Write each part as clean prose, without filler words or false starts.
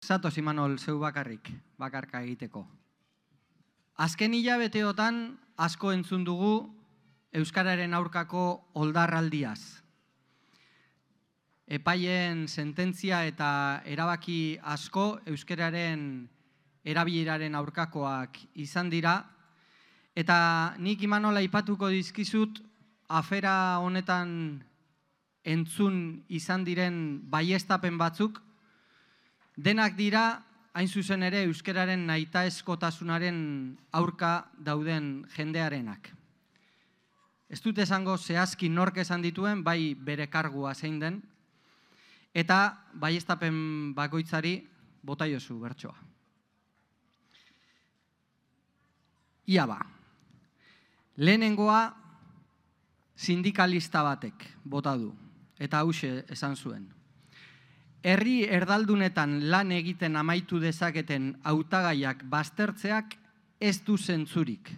Zatoz Imanol, zeu bakarka egiteko. Azken hilabeteotan asko entzun dugu euskararen aurkako oldarraldiaz. Epaien sententzia eta erabaki asko euskararen erabileraren aurkakoak izan dira, eta nik Imanol aipatuko dizkizut afera honetan entzun izan diren baieztapen batzuk, denak dira, hain zuzen ere, euskararen nahitaezkotasunaren aurka dauden jendearenak. Ez dut esango zehazki nork esan dituen, bai bere kargua zein den, eta baieztapen bakoitzari bota jozu bertsoa. Ia ba, lehenengoa sindikalista batek bota du, eta hauxe esan zuen. Herri erdaldunetan lan egiten amaitu dezaketen hautagaiak baztertzeak ez du zentzurik.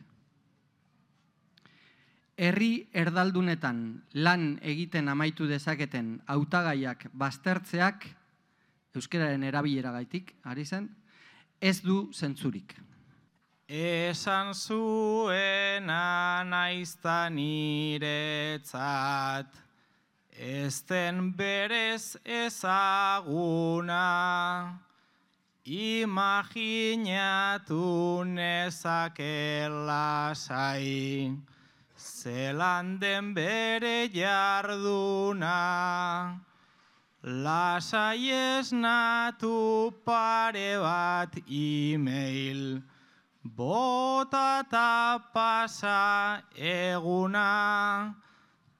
Herri erdaldunetan lan egiten amaitu dezaketen hautagaiak baztertzeak, euskararen erabileragaitik, ari zen, ez du zentzurik. Esan zuena naizta niretzat, ez den berez ezaguna, imaginatu nezake lasai, zelan den bere jarduna. Lasai esnatu pare bat email, bota ta pasa eguna,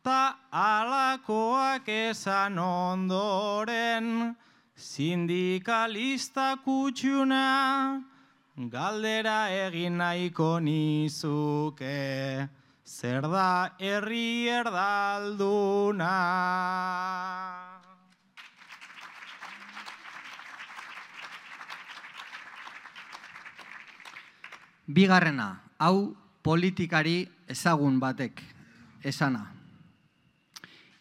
ta alakoak esan ondoren, sindikalista kutxuna, galdera egin nahiko nizuke, zer da herri erdalduna. Bigarrena, hau politikari ezagun batek esana.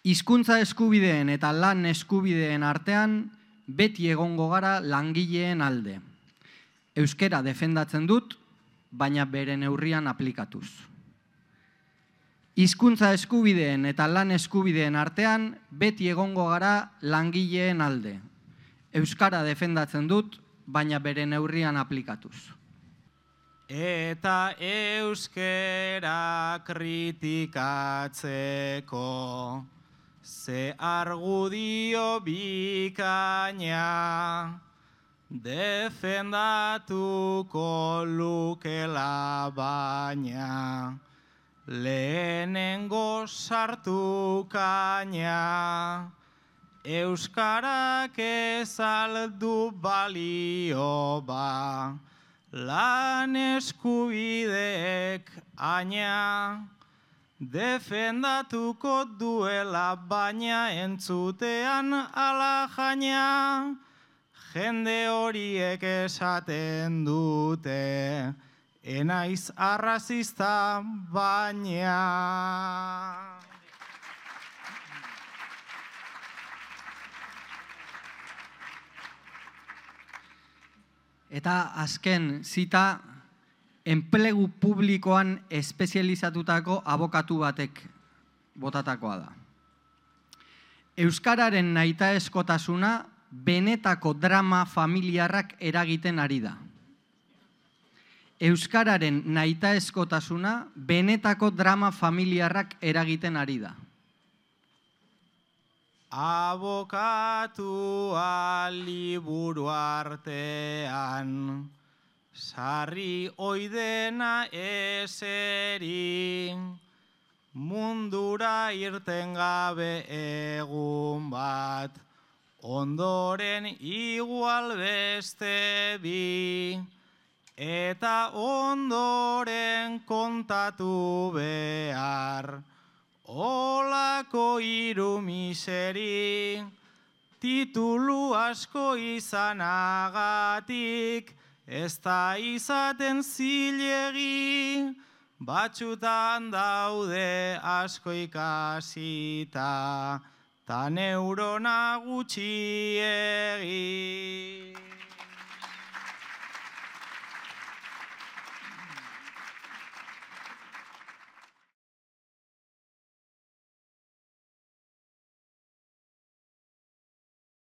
Hizkuntza eskubideen eta lan eskubideen artean beti egongo gara langileen alde. Euskara defendatzen dut, baina bere neurrian aplikatuz. Hizkuntza eskubideen eta lan eskubideen artean beti egongo gara langileen alde. Euskara defendatzen dut, baina bere neurrian aplikatuz. Eta euskera kritikatzeko, ze argudio bikaina, defendatuko lukela baina, lehenengo sartu kaina, euskarak ez aldu balio ba, lan eskubideek aina, defendatuko duela baina entzutean ala jaina, jende horiek esaten dute, enaiz arrazista baina. Eta azken zita, enplegu publikoan espezializatutako abokatu batek botatakoa da. Euskararen nahitaezkotasuna benetako drama familiarrak eragiten ari da. Euskararen nahitaezkotasuna benetako drama familiarrak eragiten ari da. Abokatua liburu artean, sarri oidena eseri, mundura irten gabe egun bat, ondoren igual beste bi, eta ondoren kontatu behar, olako hiru miseri, titulu asko izanagatik, ez da izaten zilegi, batxutan daude asko ikasita, ta neurona gutxiegi.